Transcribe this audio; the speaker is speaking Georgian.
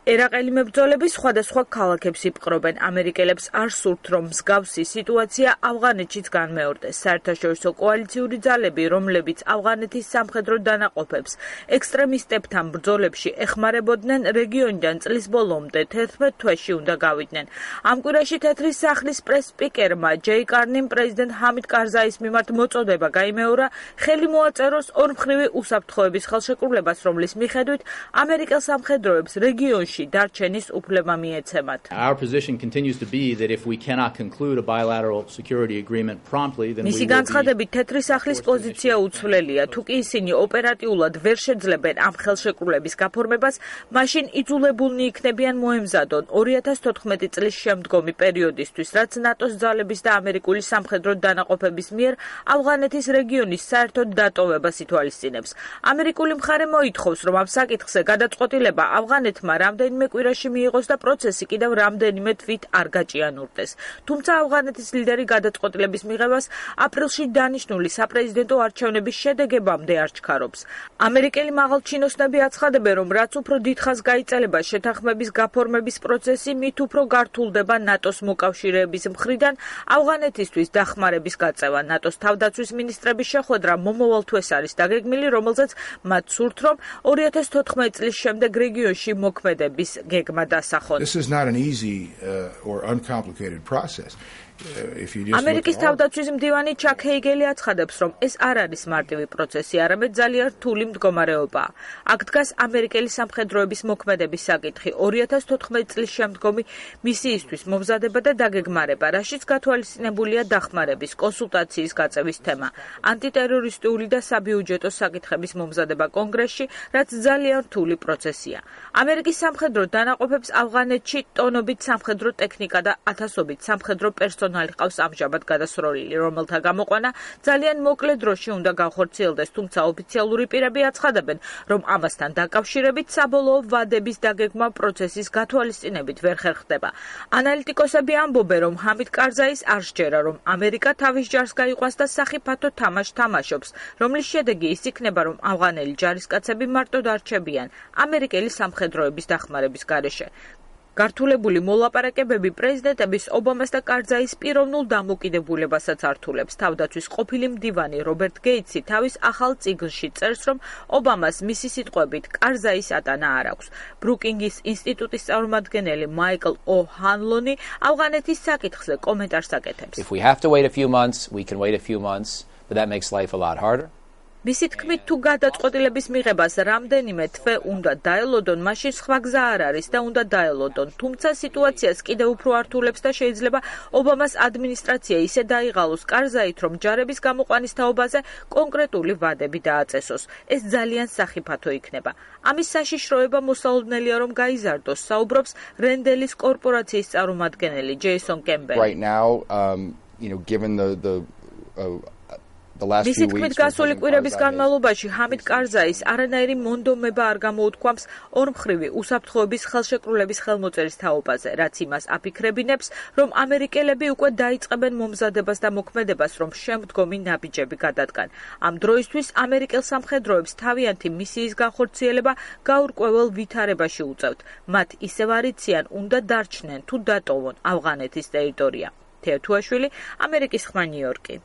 ერაყელი მებრძოლები სხვადასხვა ქალაქებს იპყრობენ. ამერიკელებს არ სურთ, რომ მსგავსი სიტუაცია ავღანეთშიც განმეორდეს. საერთაშორისო კოალიციური ძალები, რომლებიც ავღანეთის სამხედრო დანაყოფებს ექსტრემისტებთან ბრძოლებში ეხმარებოდნენ, რეგიონიდან წლის ბოლომდე 11 თვეში უნდა გავიდნენ. ამ კვირაში თეთრი სახლის პრეს-სპიკერმა ჯეი კარნიმ პრეზიდენტ ჰამიდ კარზაის მიმართ მოწოდება გაიმეორა ხელი მოაწეროს ორმხრივი უსაფრთხოების ხელშეკრულებას, რომლის მიხედვით ამერიკელ სამხედროებს რეგიონში დარჩენის უფლება მიეცემათ. Our position continues to be that if we cannot conclude a bilateral security agreement promptly, then we მისი განცხადებით თეთრი სახლის პოზიცია უცვლელია. თუ კი ისინი ოპერატიულად ვერ შეძლებენ ამ ხელშეკრულების გაფორმებას, მაშინ იძულებულნი იქნებიან მოემზადონ 2014 წლის შემდგომი პერიოდისთვის, რაც ნატოს ძალების და ამერიკული სამხედრო დანაყოფების მიერ ავღანეთის რეგიონის საერთოდ დატოვებას ითვალისწინებს. ამერიკული მხარე მოითხოვს, რომ ამ საკითხზე გადაწყვეტილება ავღანეთმა რამდენიმე კვირაში მიიღოს და პროცესი კიდევ რამდენიმე თვით არ გაჭიანურდეს. თუმცა ავღანეთის ლიდერი გადაწყვეტილების მიღებას აპრილში დანიშნული საპრეზიდენტო არჩევნების შედეგებამდე არ ჩქარობს. ამერიკელი მაღალჩინოსნები აცხადებენ, რომ რაც უფრო დიდხანს გაიწელება შეთანხმების გაფორმების პროცესი, მით უფრო გართულდება ნატოს მოკავშირეების მხრიდან ავღანეთისთვის დახმარების გაწევა. ნატოს თავდაცვის მინისტრების შეხვედრა მომავალ თვეს არის დაგეგმილი, რომელზეც მათ სურთ, რომ 2014 წლის შემდეგ რეგიონში მოქმედების გეგმა დასახონ. This is not an easy or uncomplicated process. ამერიკის თავდაცვის მდივანი ჩაკ ჰეიგელი აცხადებს, რომ ეს არ არის მარტივი პროცესი, არამედ ძალიან რთული მდგომარეობაა. აქ დგას ამერიკელი სამხედროების მოქმედების საკითხი, 2014 წლის შემდგომი მისიისთვის მომზადება და დაგეგმარება, რაშიც გათვალისწინებულია დახმარების, კონსულტაციის გაწევის თემა, ანტიტერორისტული და საბიუჯეტო საკითხების მომზადება კონგრესში, რაც ძალიან რთული პროცესია. ამერიკის სამხედრო დანაყოფებს ავღანეთში ტონობით სამხედრო ტექნიკა და ათასობით სამხედრო პერსონალი ყავს ამჟამად გადასროლილი, რომელთა გამოყვანა ძალიან მოკლე დროში უნდა განხორციელდეს, თუმცა ოფიციალური პირები აცხადებენ, რომ ამასთან დაკავშირებით საბოლოო ვადების დაგეგმა პროცესის გათვალისწინებით ვერ ხერხდება. ანალიტიკოსები ამბობენ, რომ ჰამიდ კარზაის არ სჯერა, რომ ამერიკა თავის ჯარს გაიყვანს და სახიფათო თამაშს თამაშობს, რომლის შედეგი ის იქნება, რომ ავღანელი ჯარისკაცები მარტო დარჩებიან ამერიკელი სამხედროების დახმარების გარეშე. გართულებული მოლაპარაკებები პრეზიდენტების ობამას და კარზაის პიროვნულ დამოკიდებულებასაც ართულებს. თავდაცვის ყოფილი მდივანი რობერტ გეიტსი თავის ახალ წიგნში წერს, რომ ობამას მისი სიტყვებით კარზაის ატანა არ აქვს. ბრუკინგის ინსტიტუტის წარმომადგენელი მაიკლ ო'ჰანლონი ავღანეთის საკითხზე კომენტარს აკეთებს. If we have to wait a few months, we can wait a few months, but that makes life a lot harder. მისი თქმით, თუ გადაწყვეტილების მიღებას რამდენიმე თვე უნდა დაელოდონ, მაშინ სხვა გზა არ არის და უნდა დაელოდონ. თუმცა სიტუაციას კიდევ უფრო ართულებს და შეიძლება ობამას ადმინისტრაცია ისე დაიღალოს კარზაით, რომ ჯარების გამოყვანის თაობაზე კონკრეტული ვადები დააწესოს. ეს ძალიან სახიფათო იქნება. ამის საშიშროება მოსალოდნელია, რომ გაიზარდოს, საუბრობს რენდელის კორპორაციის წარმომადგენელი ჯეისონ კემბელი. Right now, given the მისი თქმით, გასული კვირების განმავლობაში ჰამიდ კარზაის არანაირი მონდომება არ გამოუთქვამს ორმხრივი უსაფრთხოების ხელშეკრულების ხელმოწერის თაობაზე, რაც იმას აფიქრებინებს, რომ ამერიკელები უკვე დაიწყებენ მომზადებას და მოქმედებას, რომ შემდგომი ნაბიჯები გადადგან. ამ დროისთვის ამერიკელ სამხედროებს თავიანთი მისიის განხორციელება გაურკვეველ ვითარებაში უწევთ. მათ ისევ არ იციან, უნდა დარჩნენ თუ დატოვონ ავღანეთის ტერიტორია. თეო თუაშვილი, ამერიკის ხმა, ნიუ-იორკი.